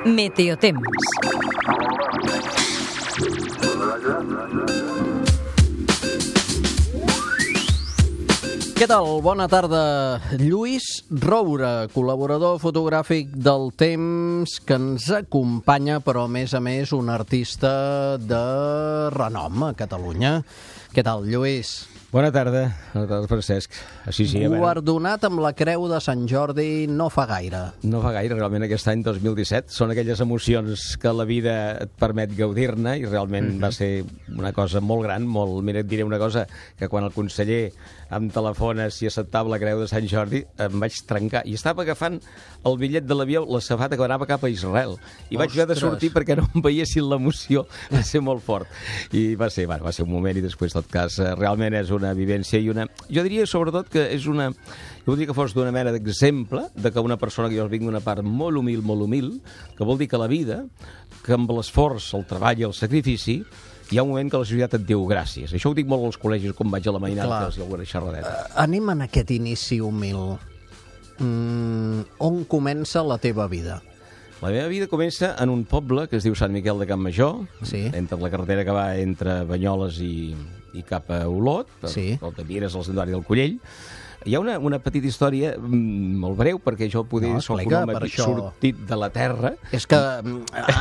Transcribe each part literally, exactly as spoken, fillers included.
Meteotemps. Què tal? Bona tarda. Lluís Roura, col·laborador fotogràfic del Temps, que ens acompanya, però a més a més un artista de renom a Catalunya. Què tal, Lluís? Bona tarda, bona tarda, Francesc. Sí, sí, Guardonat amb la Creu de Sant Jordi no fa gaire. No fa gaire, realment aquest any dos mil disset. Són aquelles emocions que la vida et permet gaudir-ne i realment mm-hmm. va ser una cosa molt gran, molt... Mira, et diré una cosa, que quan el conseller em telefona si acceptava la Creu de Sant Jordi, em vaig trencar. I estava agafant el bitllet de l'avió, la safata que anava cap a Israel. I Ostres. vaig haver de sortir perquè no em veiessin l'emoció. Va ser molt fort. I va ser, bueno, va ser un moment i després, en tot cas, realment és una vivència i una... Jo diria, sobretot, que és una... Jo voldria que fos d'una mena d'exemple de que una persona que jo vinc d'una part molt humil, molt humil, que vol dir que la vida, que amb l'esforç, el treball i el sacrifici, hi ha un moment que la societat et diu gràcies. Això ho dic molt als col·legis, com vaig a la mainada, que els hi alguna xerradeta. Uh, anem en aquest inici humil. Mm, on comença la teva vida? La meva vida comença en un poble que es diu Sant Miquel de Campmajor, sí. entre la carretera que va entre Banyoles i, i cap a Olot, per, sí. pel que mires al santuari del Collell. Hi ha una, una petita història mm, molt breu, perquè jo poder no, soc un home això... sortit de la terra. És que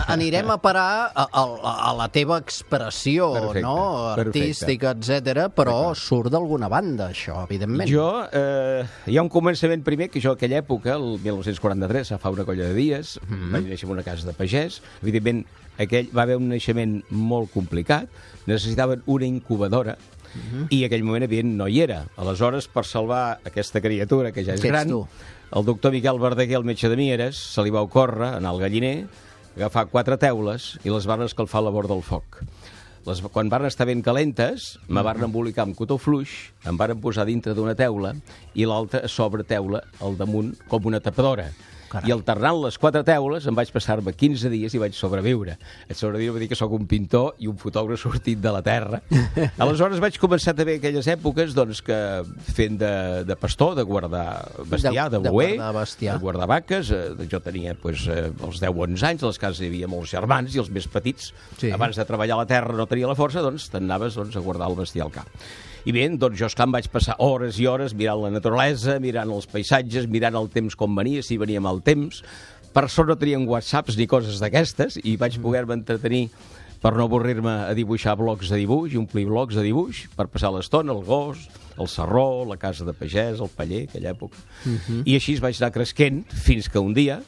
anirem a parar a, a, a la teva expressió, perfecte, no? Artística, etcètera, però perfecte. Surt d'alguna banda, això, evidentment. Jo, eh, hi ha un començament primer, que jo a aquella època, el mil nou-cents quaranta-tres, fa una colla de dies, mm-hmm. vaig néixer en una casa de pagès, evidentment aquell va haver un naixement molt complicat, necessitaven una incubadora, Uh-huh. i en aquell moment, evident, no hi era. Aleshores, per salvar aquesta criatura, que ja és gran, el doctor Miquel Verdaguer, el metge de Mieres, se li va ocórrer anar al galliner, agafar quatre teules i les van escalfar a la vora del foc. Les, quan van estar ben calentes, me van embolicar amb cotó fluix, em van posar dintre d'una teula i l'altra a sobre teula al damunt com una tapadora. Carai. I alternant les quatre teules em vaig passar-me quinze dies i vaig sobreviure. Et sobreviure vol dir que sóc un pintor i un fotògraf sortit de la terra. Aleshores vaig començar també aquelles èpoques doncs, que fent de, de pastor, de guardar bestiar, de, de boer, de guardar, de guardar vaques. Eh, jo tenia pues, eh, els deu o onze anys, a les cases hi havia molts germans i els més petits, sí. abans de treballar a la terra no tenia la força, doncs t'anaves doncs, a guardar el bestiar al camp. I bé, doncs jo, esclar, em vaig passar hores i hores mirant la naturalesa, mirant els paisatges, mirant el temps com venia, si venia mal temps. Per sort no tenien whatsapps ni coses d'aquestes i vaig poder-me entretenir per no avorrir-me a dibuixar blocs de dibuix i omplir blocs de dibuix per passar l'estona, el gos, el sarró, la casa de pagès, el paller, aquella època. Uh-huh. I així vaig anar cresquent fins que un dia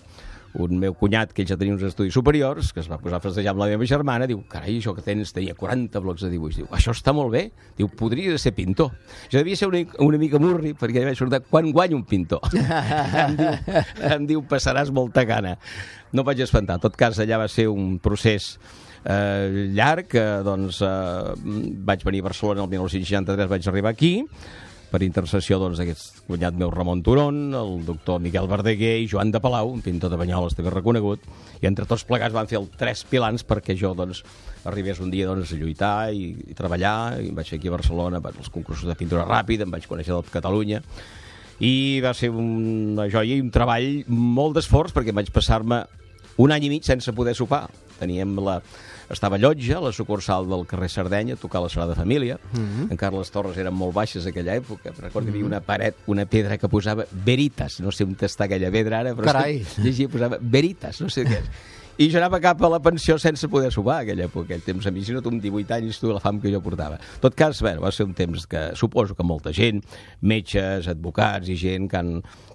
un meu cunyat, que ell ja tenia uns estudis superiors, que es va posar a festejar amb la meva germana, diu, carai, això que tens, tenia quaranta blocs de dibuix. Diu, això està molt bé. Diu, podria ser pintor. Jo devia ser una, una mica murri, perquè vaig sortir, quan guanya un pintor? em, diu, em diu, passaràs molta gana. No vaig espantar. En tot cas, allà va ser un procés eh, llarg, que, doncs, eh, vaig venir a Barcelona el mil nou-cents seixanta-tres, vaig arribar aquí, per intercessió doncs, d'aquest cunyat meu Ramon Turon, el doctor Miquel Verdaguer i Joan de Palau, un pintor de Banyoles també reconegut, i entre tots plegats van fer el tres pilans perquè jo doncs, arribés un dia doncs, a lluitar i, i treballar, i vaig aquí a Barcelona per als concursos de pintura ràpida, em vaig conèixer tot Catalunya, i va ser una joia i un treball molt d'esforç perquè vaig passar-me un any i mig sense poder sopar. Teníem la... Estava a Llotja, la sucursal del carrer Sardenya, a tocar la Sagrada Família. Mm-hmm. Encara les torres eren molt baixes aquella època. Recordo que hi havia una paret, una pedra que posava Veritas. No sé on està aquella pedra ara, però Carai. llegia, posava Veritas, no sé què és. I jo anava cap a la pensió sense poder sopar aquella època, aquell temps. A mi, si no, tu amb divuit anys, tu la fam que jo portava. En tot cas, bueno, va ser un temps que suposo que molta gent, metges, advocats i gent que han,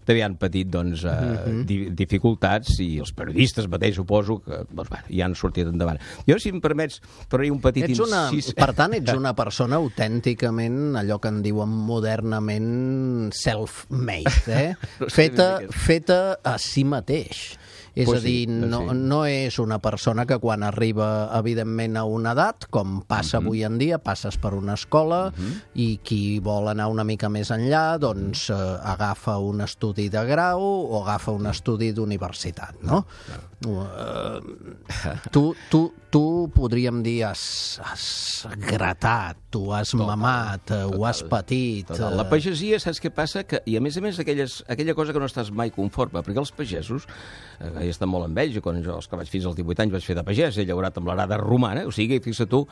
també han patit doncs, eh, mm-hmm. di dificultats, i els periodistes mateix suposo que doncs, bueno, ja han sortit endavant. Jo, si em permets, però hi ha un petit ets una, incís... Per tant, ets una persona autènticament, allò que en diuen modernament self-made, eh? no sé feta, feta a si mateix. És pues a dir, sí, no, sí. no és una persona que quan arriba, evidentment, a una edat, com passa Uh-huh. avui en dia, passes per una escola Uh-huh. i qui vol anar una mica més enllà, doncs eh, agafa un estudi de grau o agafa un estudi d'universitat, no? Uh, tu, tu, tu, podríem dir, has, has gratat, tu has total, mamat, total, ho has patit... Total. La pagesia, saps què passa? Que, I a més a més, aquelles, aquella cosa que no estàs mai conforme, perquè els pagesos, eh, he estat molt amb ells, quan jo, els que vaig fins als divuit anys vaig fer de pagès, he llaurat amb l'arada romana, o sigui, fixa't tu,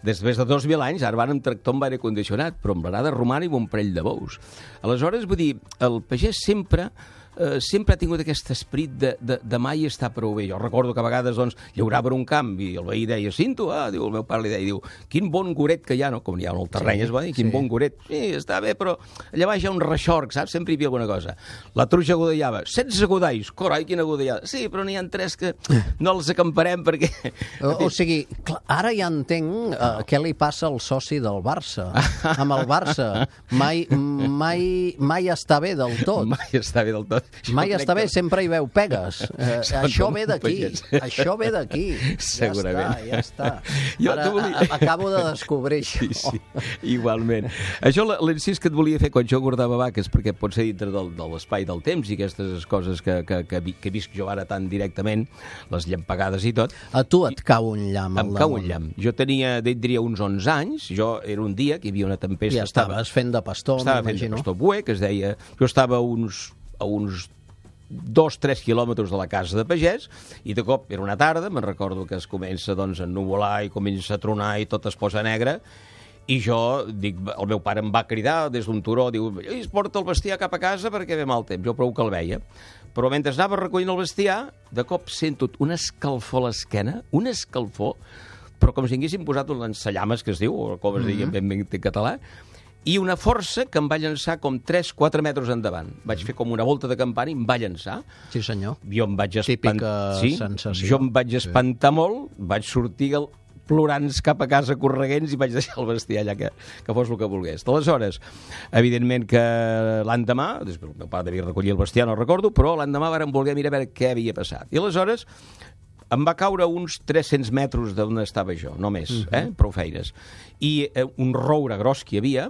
després de dos mil anys, ara van amb tractor amb aire condicionat, però amb l'arada romana i amb un parell de bous. Aleshores, vull dir, el pagès sempre... Uh, sempre ha tingut aquest esperit de, de, de mai estar prou bé. Jo recordo que a vegades doncs, llaurava en un camp i el veí deia, Cinto, ah, diu, el meu pare li deia, diu, quin bon goret que hi ha, no? Com hi ha en el terreny, sí, es va dir, quin sí. bon goret. Sí, està bé, però allà baix hi ha un reixorc, saps? Sempre hi havia alguna cosa. La truja godellava, setze godalls, corai, quina godellada. Sí, però n'hi ha tres que no els acamparem perquè... O, o sigui, clar, ara ja entenc uh, què li passa al soci del Barça. Amb el Barça mai, mai, mai està bé del tot. Mai està bé del tot. Jo mai està bé, que... sempre hi veu pegues. Eh, això ve d'aquí, això ve d'aquí. Segurament. Ja està, ja està. Jo Ara volia... acabo de descobrir això. Sí, sí, igualment. Això, l'incís que et volia fer quan jo guardava vaques, perquè pot ser dintre del, de l'espai del temps i aquestes coses que, que, que, que visc jo ara tan directament, les llampegades i tot. A tu et cau un llamp al damunt. Em cau un llamp. Jo tenia, diria, uns onze anys, jo era un dia que hi havia una tempesta. I estaves estava, fent de pastor, m'imagino. Estava fent de pastor buè, que es deia... Jo estava a uns... A uns dos, tres quilòmetres de la casa de pagès, i de cop era una tarda, me'n recordo que es comença doncs, a ennuvolar i comença a tronar i tot es posa negre, i jo, dic, el meu pare em va cridar des d'un turó, diu, Lluís, porta el bestiar cap a casa perquè ve mal temps, jo prou que el veia. Però mentre anava recollint el bestiar, de cop sento una escalfor a l'esquena, una escalfor, però com si haguessin posat un lançallames, que es diu, o com es digui mm-hmm. ben bé en català, i una força que em va llançar com tres quatre metres endavant. Vaig fer com una volta de campana i em va llançar. Sí, senyor. Jo em vaig espantar... Típica sí, sensació. Jo em vaig espantar sí. molt, vaig sortir el... plorant cap a casa correguents i vaig deixar el bestiar allà que, que fos el que volgués. Aleshores, evidentment que l'endemà, després el meu pare devia recollir el bestiar, no recordo, però l'endemà vàrem voler mirar a veure què havia passat. I aleshores em va caure uns tres-cents metres d'on estava jo, només, uh-huh. eh? Prou feines. I eh, un roure gros que hi havia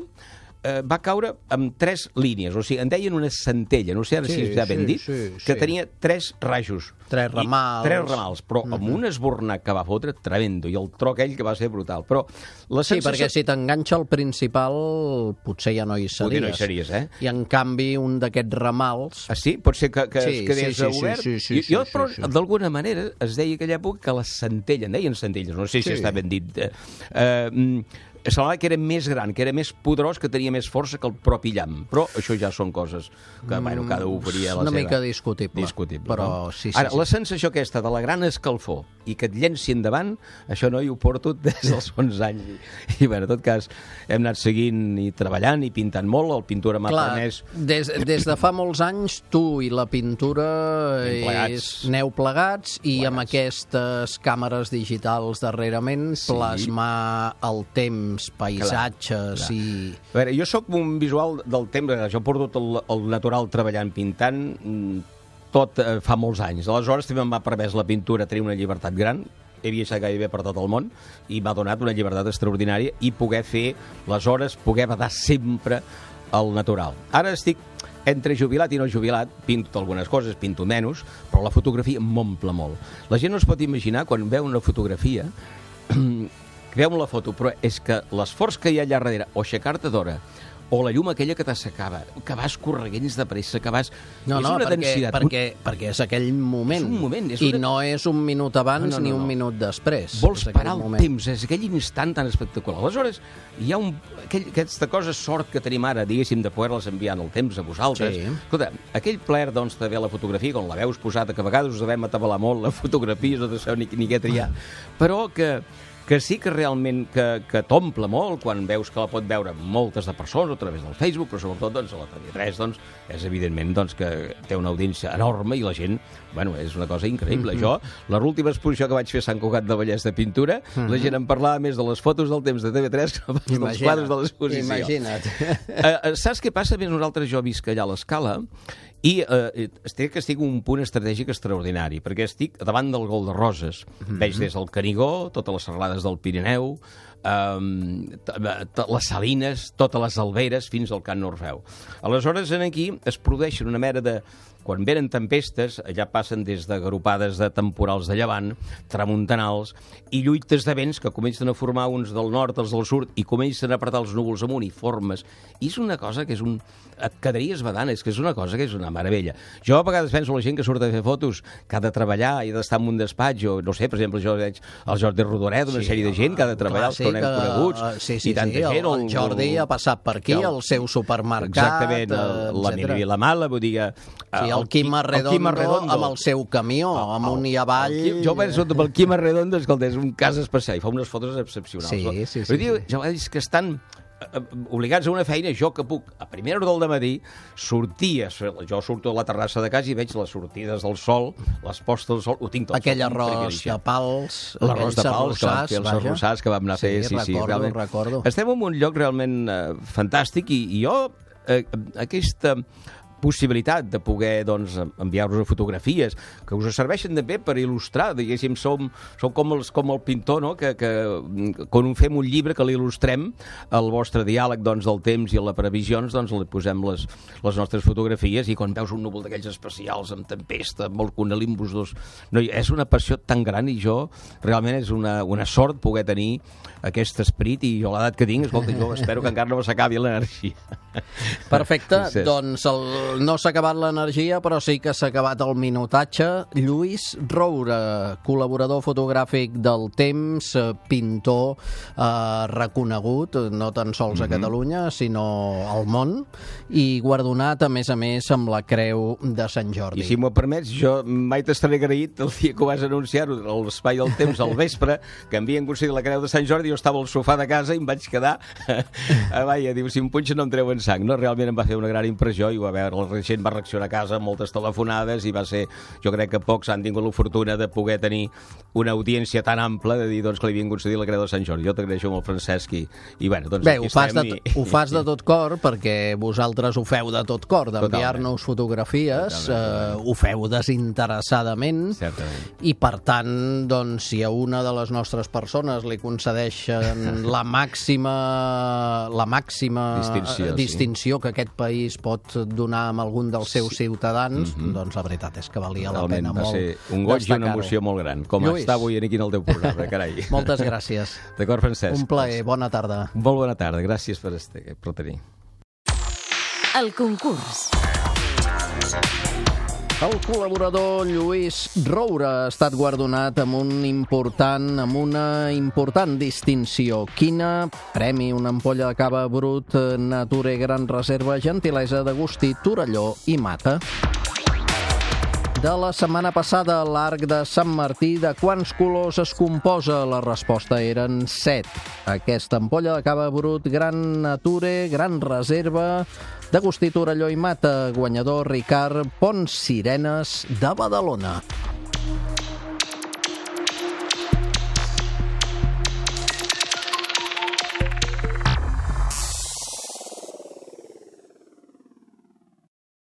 eh, va caure amb tres línies, o sigui, en deien una centella, no sé ara sí, si està ben sí, dit, sí, que sí. tenia tres rajos. Tres ramals. Tres ramals, però amb uh-huh. un esbornat que va fotre tremendo, i el tro aquell que va ser brutal. Però la sensació... Sí, perquè si t'enganxa el principal, potser ja no hi series. Potser no hi series, eh? I en canvi, un d'aquests ramals... Ah, sí? Pot ser que, que sí, es quedés sí, sí, obert? Sí, sí, sí, jo, sí, però, sí, sí. d'alguna manera, es deia aquella època que la centella, en deien centelles, no sé si sí. està ben dit... Eh, eh, semblava que era més gran, que era més poderós, que tenia més força que el propi llamp. Però això ja són coses que, mm, bueno, cada un faria la una seva. mica discutible. Discutible, però no? sí, sí, Ara, sí. la sensació aquesta de la gran escalfor i que et llenci endavant, això no hi ho porto des dels onze anys. I, i bueno, en tot cas, hem anat seguint i treballant i pintant molt. El pintura m'ha permès... Des, des de fa molts anys, tu i la pintura és, neu plegats i plegats. Amb aquestes càmeres digitals darrerament sí. plasmar el temps, paisatges clar, clar. i... A veure, jo sóc un visual del temps, jo porto tot el, el natural treballant, pintant, tot eh, fa molts anys. Aleshores també m'ha permès la pintura tenir una llibertat gran, he viatjat gairebé per tot el món i m'ha donat una llibertat extraordinària i poder fer les hores, poder badar sempre el natural. Ara estic entre jubilat i no jubilat, pinto algunes coses, pinto menys, però la fotografia m'omple molt. La gent no es pot imaginar, quan veu una fotografia, veu la foto, però és que l'esforç que hi ha allà darrere, o aixecar-te d'hora, o la llum aquella que t'assecava, que vas correguents de pressa, que vas... No, és no, una perquè, densitat. Perquè, perquè és aquell moment. És un moment. És I una... no és un minut abans no, no, no, ni un no. minut després. Vols parar el moment. Temps, és aquell instant tan espectacular. Aleshores, hi ha un, aquell, aquesta cosa sort que tenim ara, diguéssim, de poder-les enviar en el temps a vosaltres. Sí. Escolta, aquell plaer, doncs, de veure la fotografia, quan la veus posada, que a vegades us devem atabalar molt la fotografia, no sabeu ni, ni què triar, però que... que sí que realment que, que t'omple molt quan veus que la pot veure moltes de persones a través del Facebook, però sobretot doncs, a la T V tres doncs, és evidentment doncs, que té una audiència enorme i la gent, bueno, és una cosa increïble. Mm-hmm. Jo, l'última exposició que vaig fer a Sant Cugat del Vallès de pintura, mm-hmm. la gent em parlava més de les fotos del temps de T V tres que dels imagina't, quadres de l'exposició. Imagina't. Uh, saps què passa? Bé, nosaltres jo visc allà a l'Escala I eh, estic que estic en un punt estratègic extraordinari, perquè estic davant del Gol de Roses. Mm-hmm. Veig des del Canigó, totes les serralades del Pirineu, Um, les salines, totes les alberes, fins al Camp Orfeu. Aleshores, aquí es produeixen una mena de... Quan venen tempestes, allà passen des de garupades de temporals de llevant, tramuntanals, i lluites de vents que comencen a formar uns del nord, els del sud, i comencen a apretar els núvols amb uniformes. I és una cosa que és un... Et quedaries badant, és que és una cosa que és una meravella. Jo a vegades penso la gent que surt a fer fotos, que ha de treballar i ha d'estar en un despatx, o no sé, per exemple, jo veig el Jordi Rodoret, una sí, sèrie de gent que ha de treballar, els que no hem coneguts, uh, sí, sí, i tanta sí, gent... El, el Jordi ha passat per aquí, el, el seu supermercat... Exactament, el, la Miri Vilamala, vull dir... Sí, el, el Quim Arredondo, el Quim Arredondo amb el seu camió, oh, amunt i avall... Quim, jo penso que el Quim Arredondo, escolta, és un cas especial, i fa unes fotos excepcionals. Sí, sí, sí. Vull dir, ja és que estan obligats a una feina, jo que puc a primera hora del dematí sortir, jo surto a la terrassa de casa i veig les sortides del sol, les postes del sol, ho tinc tot. Aquell arròs de pals, l'arròs de pals, que els arrossars que vam anar a fer, sí, sí, recordo, realment. recordo. Estem en un lloc realment eh, fantàstic i, i jo eh, aquesta possibilitat de poder doncs, enviar-vos fotografies que us serveixen també per il·lustrar, diguéssim, som, som com, els, com el pintor, no? que, que quan fem un llibre que l'il·lustrem, el vostre diàleg doncs, del temps i les previsions, doncs li posem les, les nostres fotografies i quan veus un núvol d'aquells especials amb tempesta, amb el cunelimbus dos... No, és una passió tan gran i jo realment és una, una sort poder tenir aquest esperit i jo l'edat que tinc, escolta, jo espero que encara no s'acabi l'energia. Perfecte, sí. Doncs el no s'ha acabat l'energia, però sí que s'ha acabat el minutatge. Lluís Roure, col·laborador fotogràfic del Temps, pintor eh, reconegut, no tan sols a Catalunya, sinó al món, i guardonat, a més a més, amb la Creu de Sant Jordi. I si m'ho permets, jo mai t'estaré agraït el dia que ho vas anunciar-ho a l'Espai del Temps al vespre, que m'havien concedit la Creu de Sant Jordi, jo estava al sofà de casa i em vaig quedar a vaia, diu, si em punxa no em treuen sang, no? Realment em va fer una gran impressió i va veure la gent va reaccionar a casa amb moltes telefonades i va ser, jo crec que pocs han tingut la fortuna de poder tenir una audiència tan ampla de dir doncs, que li havien concedit la Creu de Sant Jordi. Jo t'agraeixo molt, Francesc, i, i bueno, doncs Bé, aquí ho fas, estem. De, I... ho fas de tot cor, perquè vosaltres ho feu de tot cor, d'enviar-nos fotografies, eh, ho feu desinteressadament, certament. I per tant, doncs, si a una de les nostres persones li concedeixen la màxima la màxima distinció, distinció sí. que aquest país pot donar amb algun dels seus sí. ciutadans, mm-hmm. doncs la veritat és que valia realment la pena va molt ser un goig i una emoció molt gran, com Lluís. està avui aquí en el teu programa, carai. Moltes gràcies. D'acord, Francesc. Un plaer, bona tarda. Molt bona tarda, gràcies per, este, per tenir. El concurs. El col·laborador Lluís Roure ha estat guardonat amb un important, amb una important distinció. Quina? Premi, una ampolla de cava brut, Nature Gran Reserva, gentilesa d'Agustí Torelló i Mata. De la setmana passada, l'arc de Sant Martí, de quants colors es composa? La resposta eren set. Aquesta ampolla de cava brut, Gran Nature, Gran Reserva, d'Agustí Torelló i Mata, guanyador Ricard Pons Sirenes de Badalona.